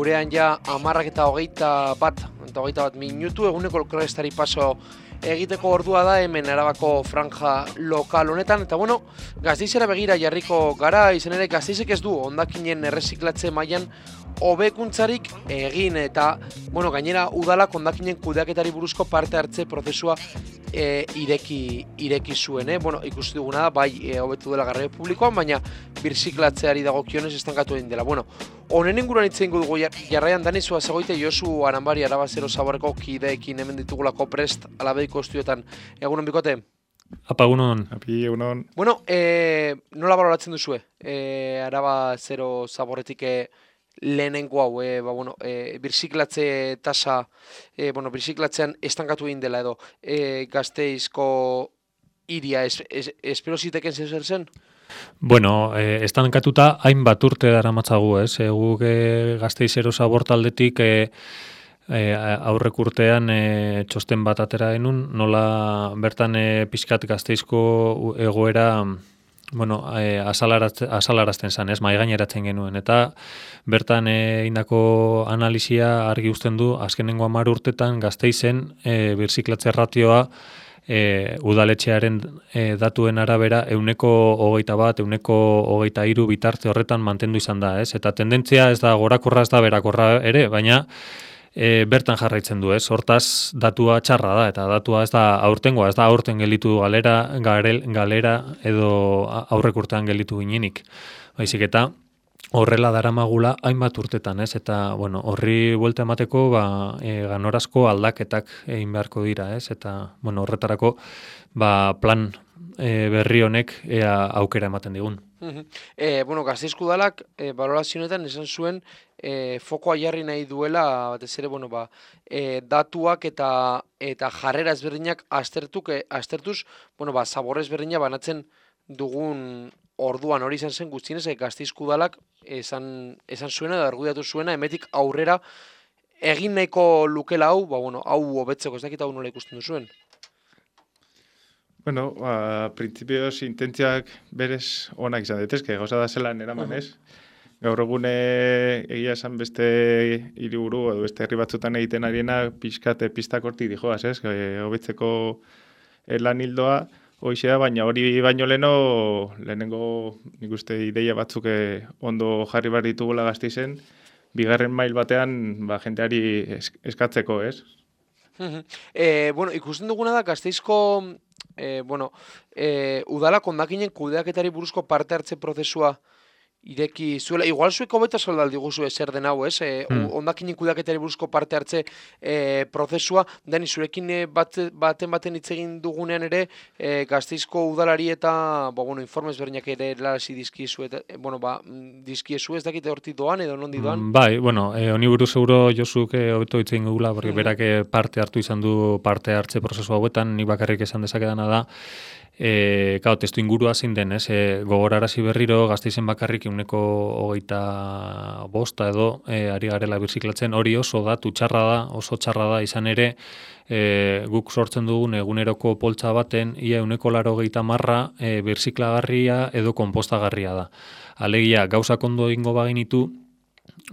gurean ja 10:21 minutu, eguneko krestari paso egiteko ordua da hemen Arabako franja lokal honetan, eta bueno, Gasteizera begira jarriko gara, izan ere Gasteizek ez du hondakinen erreziklatze mailan hobekuntzarik egin, eta bueno, gainera udalak hondakinen kudeaketari buruzko parte hartze prozesua ireki zuen, Bueno, ikusi duguna da, bai hobetu dela garraio publikoan, baina birziklatzeari dagokionez estankatu egin dela. Bueno, honen inguruan hitz egingo dugu jarraian Danizua zegoite Josu Aranbari Araba Zero Zaborreko kideekin hemen ditugulako prest alabeiko estudioetan. Egunon bikote? Apa, egunon. Api, egunon. Bueno, nola baloratzen duzue? Araba Zero Zaborretik lehenengo hau, birziklatze tasa, birziklatzean estankatu egin dela edo, Gasteizko hiria espero ziteken zer zen? Bueno, estankatuta hainbat urte daramatzagu, ez? Guk Gasteizero Zabor taldetik aurrek urtean txosten bat atera genuen, nola bertan pixkat Gasteizko egoera azalarazten zen, ez, mahaigaineratzen genuen, eta bertan indako analisia argi uzten du, azkenengo 10 urtetan Gasteizen birziklatze ratioa udaletxearen datuen arabera 21%, 23% bitarte horretan mantendu izan da, ez, eta tendentzia ez da gorakorra, ez da berakorra ere, baina bertan jarraitzen du, ez? Hortaz datua txarra da, eta datua ez da aurtengoa, ez da aurten gelditu galera edo aurrek urtean gelditu ginenik. Baizik eta horrela daramagula hainbat urtetan, ez? Eta bueno, horri buelta emateko ganorazko aldaketak egin beharko dira, ez? Eta bueno, horretarako plan berri honek aukera ematen digun. Gasteizko udalak balorazioetan esan zuen fokoa jarri nahi duela, batez ere, datuak eta jarrera ezberdinak aztertuz, zabor ezberdina banatzen dugun orduan hori izan zen guztienez, Gasteizko udalak esan zuena edo argudiatu zuena, emetik aurrera egin nahiko lukela hau, hau hobetzeko, ez dakit hau nola ikusten duzuen. Bueno, printzipioz intentziak berez onak izan daitezke, gauza da zelan eramanez. Gaur egune egia esan beste hiriburu edo beste herri batzutan egiten ariena pixkat pistak hortik dijoaz, ez? Hobetzeko lan hildoa hoizea, baina hori baino lehenengo nik uste ideia batzuk ondo jarri behar ditugula Gasteizen, bigarren mail batean jenteari eskatzeko, ez? Ikusten duguna da Gasteizko udalak hondakinen kudeaketari buruzko parte hartze prozesua ireki zuela, igual zuek hobeto soldaldi guzu zer den hau, ez? Hondakinen kudeaketari buruzko parte hartze prozesua, Dani, zurekin baten hitz egin dugunean ere, Gasteizko udalari eta informes berdinak ere lasi dizkiezu, dizkiezu, ez dakite hortik doan edo nondi doan? Bai, honi buruz euro Josuk hobeto hitz egin gugula, porque berak parte hartu izan du parte hartze prozesu hauetan, nik bakarrik esan dezakedana da, testu ingurua zein den, gogorarazi berriro Gasteizen bakarrik 25% edo ari garela birziklatzen, hori oso txarra da izan ere, guk sortzen dugun eguneroko poltsa baten ia 80% birziklagarria edo konpostagarria da. Alegia, gauzak ondo egingo baginitu,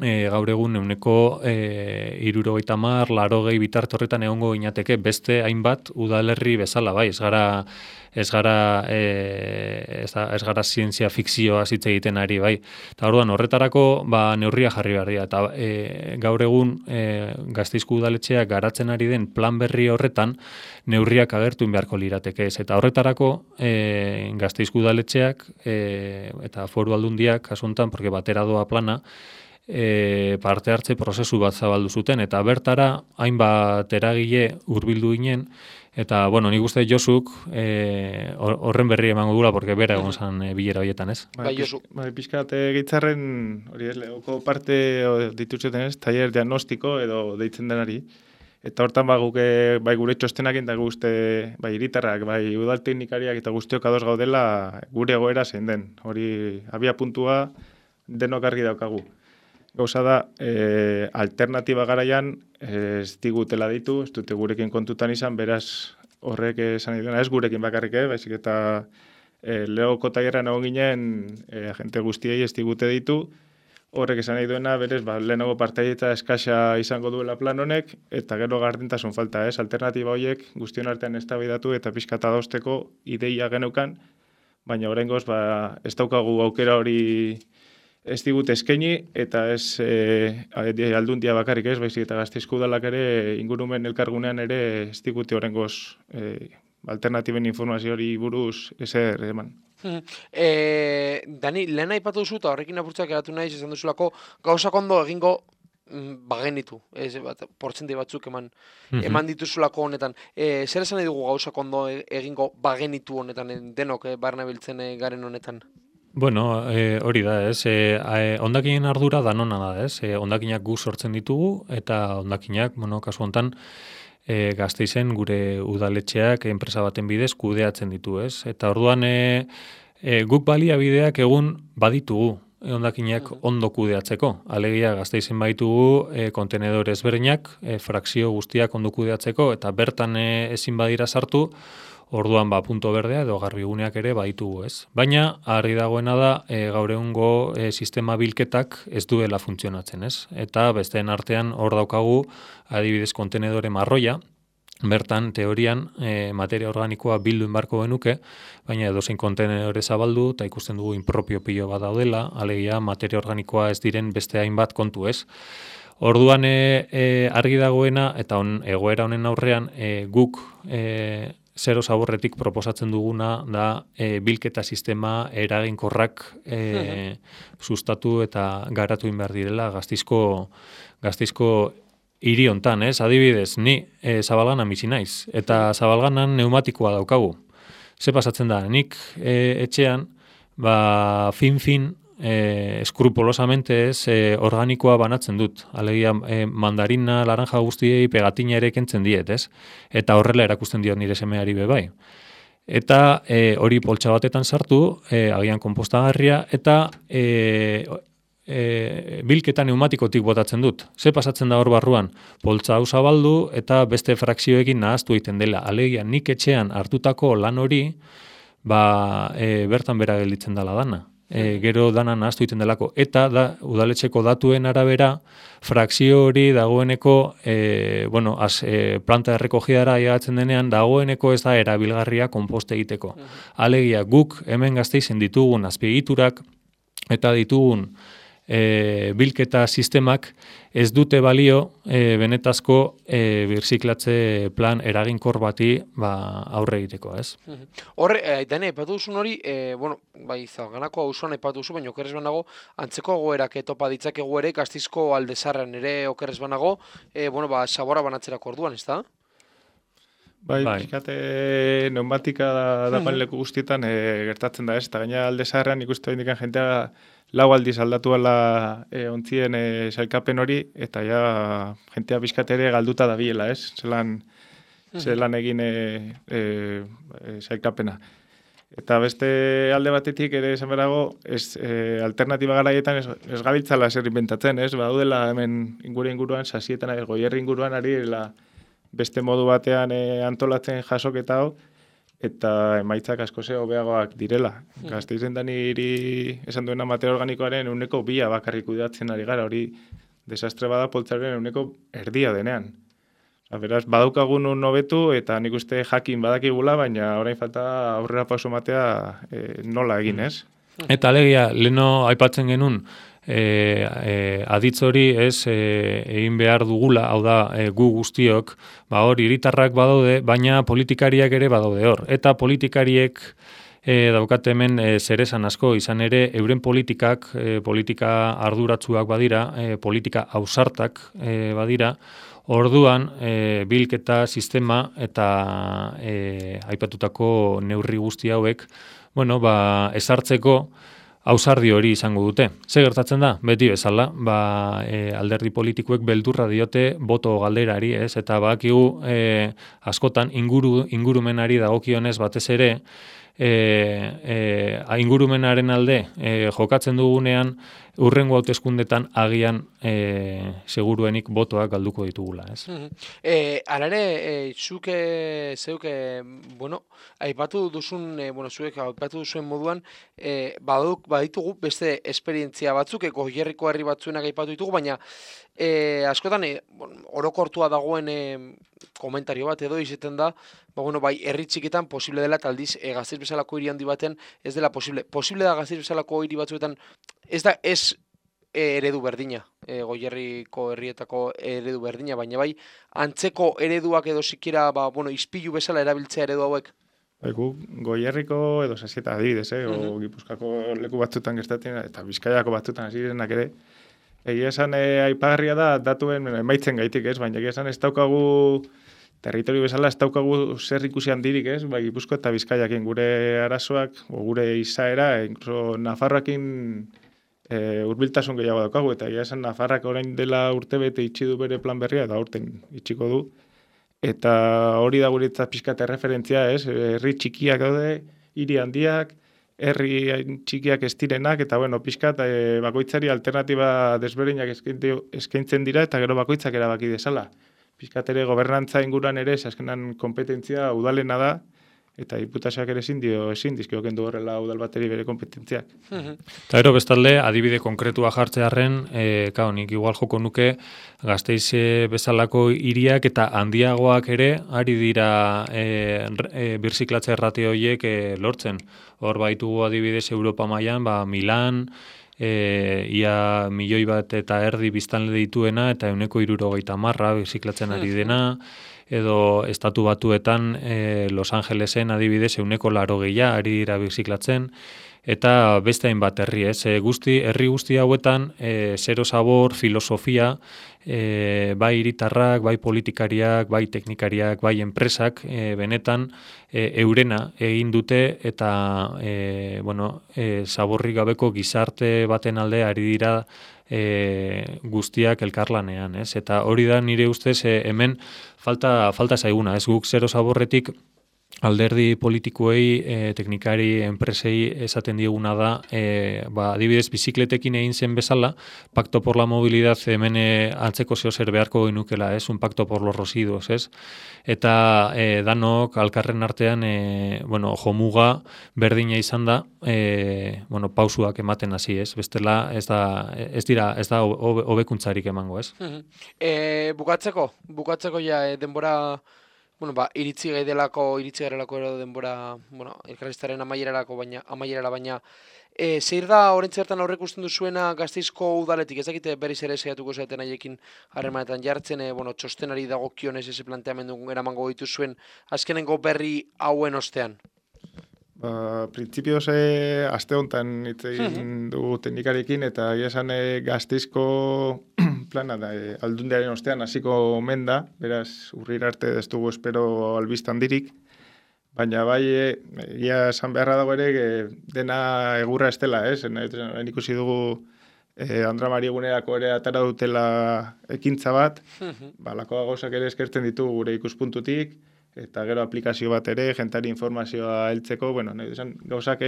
gaur egun 70%, 80% bitarte horretan egongo ginateke beste hainbat udalerri bezala, bai, ez gara zientzia fikzioa hitz egiten ari, bai. Eta orduan horretarako neurria jarri behar dira, eta gaur egun Gasteizko udaletxeak garatzen ari den plan berri horretan neurriak agertu beharko lirateke ez, eta horretarako Gasteizko udaletxeak eta foru aldundiak kasuntan, porque batera doa plana, parte hartze prozesu bat zabaldu zuten, eta bertara hainbat eragile hurbildu ginen, eta, nik uste Josuk horren berri emango dugula, porque bera egon zan bilera horietan, ez? Josu. Pixkat gitzarren, hori ez, lehoko parte dituzeten ez, taller diagnostiko edo deitzen denari, eta hortan guk gure txostenak eta guzti, hiritarrak, udal teknikariak eta guztiok ados gaudela gure egoera zein den. Hori abia puntua denok argi daukagu. Gauza da, alternatiba garaian ez digutela ditu, ez dute gurekin kontutan izan, beraz horrek esan dituena, ez gurekin bakarrik, baizik eta lehoko tailerran egon ginen, agente guztiei ez digute ditu, Horrek esan nahi duena, berez, lehenago partaidetza eskasa izango duela plan honek, eta gero gardentasun falta, alternatiba horiek guztion artean eztabaidatu eta pixkat adosteko ideia geneukan, baina oraingoz ez daukagu aukera hori ez digut eskaini, eta ez aldundia bakarrik ez, baizik eta Gasteizko udalak ere ingurumen elkargunean ere ez digute oraingoz alternatiben informazio hori buruz ezer eman. Dani, lehen aipatu duzu, eta horrekin apurtzak eratu nahi, esan duzulako, gauzak ondo egingo bagenitu, portzenti batzuk eman dituzulako honetan. Zer esan nahi dugu gauzak ondo egingo bagenitu honetan, denok barne biltzen garen honetan? Bueno, hori da, ez? Hondakinen ardura danona da, ez? Hondakinak gu sortzen ditugu, eta hondakinak, kasu hontan, Gasteizen gure udaletxeak enpresa baten bidez kudeatzen ditu, ez? Eta orduan guk baliabideak egun baditugu hondakinak ondo kudeatzeko. Alegia Gasteizen baitugu kontenedore ezberdinak, frakzio guztiak ondo kudeatzeko, eta bertan ezin badira sartu, orduan punto berdea edo garbiguneak ere baditugu, ez? Baina argi dagoena da gaur egungo sistema bilketak ez duela funtzionatzen, ez? Eta besteen artean hor daukagu adibidez kontenedore marroia, bertan teorian materia organikoa bildu inbarko genuke, baina edozein kontenedore zabaldu eta ikusten dugu inpropio pilo bat daudela, alegia materia organikoa ez diren beste hainbat kontu, ez? Orduan argi dagoena eta egoera honen aurrean guk zero zaborretik proposatzen duguna da bilketa sistema eraginkorrak sustatu eta garatu behar direla Gasteizko hiri hontan, ez? Adibidez, ni Zabalganan bizi naiz, eta Zabalganan neumatikoa daukagu. Ze pasatzen da, nik etxean, fin, eskrupulosamente ez organikoa banatzen dut. Alegia mandarina, laranja guztiei pegatina ere kentzen diet, ez? Eta horrela erakusten diot nire semeari bai. Eta hori poltsa batetan sartu, agian konpostagarria, eta bilketa neumatikotik botatzen dut. Ze pasatzen da hor barruan? Poltsa hau zabaldu eta beste frakzioekin nahaztu egiten dela. Alegia nik etxean hartutako lan hori bertan bera gelditzen dela dana. Gero dana nahaztu egiten delako. Eta udaletxeko datuen arabera, frakzio hori dagoeneko, planta errekogiara ailegatzen denean, dagoeneko ez da erabilgarria konposte egiteko. Alegia guk hemen Gasteizen ditugun azpiegiturak eta ditugun bilketa sistemak ez dute balio benetazko birziklatze plan eraginkor bati aurre egiteko, ez? Horre, Dani, aipatu duzun hori, Zabalganako auzoan aipatu duzu, baina okerrez banago, antzeko egoerak topa ditzakegu ere, Gasteizko Aldezarrean ere okerrez banago, sabora banatzerako orduan, ez da? Pixkate neumatika da leku guztietan gertatzen da, ez? Eta gaina Aldezarrean ikustu indikan jentea 4 aldiz aldatu ala ontzien sailkapen hori, eta ja jentea pixkate ere galduta da biela, ez? Zelan egin sailkapena. Eta beste alde batetik ere esan berago, alternatiba garaietan ez gabiltzala zer inventatzen, ez? Badaudela hemen inguruan, sasietan, Goierri inguruan ari beste modu batean antolatzen jasoketa hau, eta emaitzak asko hobeagoak direla. Gasteizen da niri esan duena materia organikoaren 2% bakarrik kudeatzen ari gara, hori desastre bada poltsaren 1/3 denean. Beraz, badaukagun hobetu eta nik uste jakin badakigula, baina orain falta aurrera pauso matea nola egin, ez? Eta alegia, leheno aipatzen genuen, aditz hori ez egin behar dugula, hau da gu guztiok, hor hiritarrak badaude, baina politikariak ere badaude hor. Eta politikariek daukate hemen zeresan asko, izan ere euren politika arduratsuak badira, politika ausartak badira, orduan bilketa sistema eta aipatutako neurri guzti hauek, ezartzeko ausardi hori izango dute. Ze gertatzen da? Beti bezala, alderdi politikoek beldurra diote boto galderari, ez? Eta badakigu askotan ingurumenari dagokionez batez ere, ingurumenaren alde jokatzen dugunean, urrengo hauteskundetan agian seguruenik botoak galduko ditugula, ez? Alare, zeuke, bueno, aipatu duzun, zuek aipatu duzuen moduan, baditugu beste esperientzia batzuk, Goierriko herri batzuenak aipatu ditugu, baina askotan orokortua dagoen komentario bat edo izaten da, bai, herri txikitan posible dela, eta aldiz Gasteiz bezalako hiri handi baten ez dela posible. Posible da Gasteiz bezalako hiri batzuetan, ez eredu berdina, Goierriko herrietako eredu berdina, baina bai, antzeko ereduak edo sikiera, ispilu bezala erabiltzea eredu hauek. Goierriko edo Sasieta adibidez, o Gipuzkoako leku batzutan gertatzen, eta Bizkaiako batzutan hasi direnak ere, egia esan aipagarria da datuen emaitzen gaitik, ez? Baina egia esan ez daukagu territorio bezala ez daukagu zer ikusi handirik, ez? Bai, Gipuzkoa eta Bizkaiakin gure arazoak, gure izaera, incluso Nafarroakin hurbiltasun gehiago daukagu, eta egia esan Nafarrak orain dela urtebete itxi du bere plan berria, eta aurten itxiko du. Eta hori da guretzat pixkat erreferentzia, ez? Herri txikiak daude, hiri handiak, herri txikiak ez direnak, eta pixkat bakoitzari alternatiba desberdinak eskaintzen dira, eta gero bakoitzak erabaki dezala. Pixkat ere gobernantza inguruan ere, azkenan kompetentzia udalena da, eta diputazioak ere ezin dizkio kendu horrela udal bateri bere kompetentziak. Eta gero bestalde, adibide konkretua jartzearren, nik igual joko nuke Gasteiz bezalako hiriak eta handiagoak ere ari dira birziklatze ratio horiek lortzen. Hor baitugu adibidez Europa mailan, Milan, ia 1,5 milioi biztanle dituena eta 160 birziklatzen ari dena, edo estatu batuetan Los Angelesen adibidez 180 ari dira birziklatzen, eta beste hainbat herri, ez? Herri guzti hauetan zero sabor, filosofia, bai hiritarrak, bai politikariak, bai teknikariak, bai enpresak, benetan eurena egin dute eta saborrik gabeko gizarte baten alde ari dira guztiak elkarlanean, ez? Eta hori da nire ustez hemen falta zaiguna, ez? Guk zero saborretik alderdi politikoei, teknikari, enpresei esaten dieguna da, adibidez bizikletekin egin zen bezala, Pacto por la Movilidad hemen antzeko zer beharko genukela, ez? Un pacto por los residuos, ez? Eta danok alkarren artean, jomuga berdina izan da, pausuak ematen hasi, ez? Bestela ez da hobekuntzarik emango, ez? Bukatzeko ja denbora iritzi garelako ero denbora, elkarriztaren amaierara baina, zeir da orentzertan aurrek usten duzuena Gasteizko udaletik, ez dakite berriz ere saiatuko zaten haiekin harremanetan jartzen, txostenari dagokionez eze planteamendu eramango dituzuen azkenengo berri hauen ostean? Printzipioz aste honetan hitz egin dugu teknikarekin, eta esan Gasteizko plana da, aldundiaren ostean hasiko omen da, beraz urrira arte ez dugu espero albistan dirik, baina bai, esan beharra dago ere dena egurra ez dela, ez? Ikusi dugu Andra Mari egunerako ere atara dutela ekintza bat, lakoa gauzak ere eskertzen ditugu gure ikuspuntutik, eta gero aplikazio bat ere, jentari informazioa heltzeko, gauzak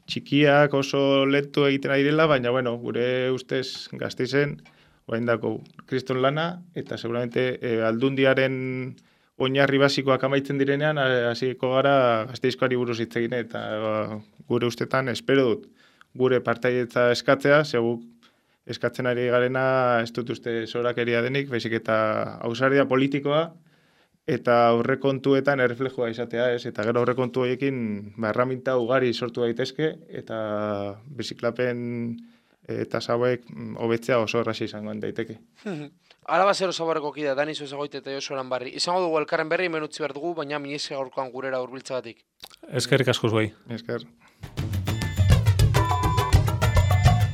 txikiak oso letu egiten ari dela, baina gure ustez Gasteizen, orain dako kriston lana, eta seguramente aldundiaren oinarri basikoak amaitzen direnean, hasiko gara Gasteizkoari buruz hitz egin, eta gure ustetan espero dut gure partaietza eskatzea, seguk eskatzen ari garena ez dut uste zorakeria denik, baizik eta ausardia politikoa, eta aurrekontuetan erreflejua izatea, ez? Eta gero aurrekontu horiekin erraminta ugari sortu daitezke, eta biziklapen eta hauek hobetzea oso erraza izango daiteke. Araba zero zaborreko kidea, Dani Zuezagoite eta Josu Aranbarri. Izango dugu elkarren berri, hemen utzi behar dugu, baina miniese gaurkoan gurera hurbiltzagatik. Eskerrik asko zuei. Esker.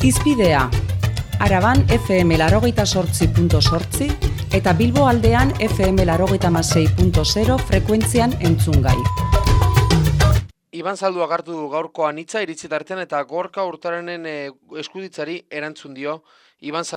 Izpidea, Araban FM 88.8 eta Bilbo aldean FM 86.0 frekuentzian entzungai. Iban Zalduak hartu du gaurkoan hitza iritzi tartean eta Gorka Urtarenen eskuditzari erantzun dio. Iban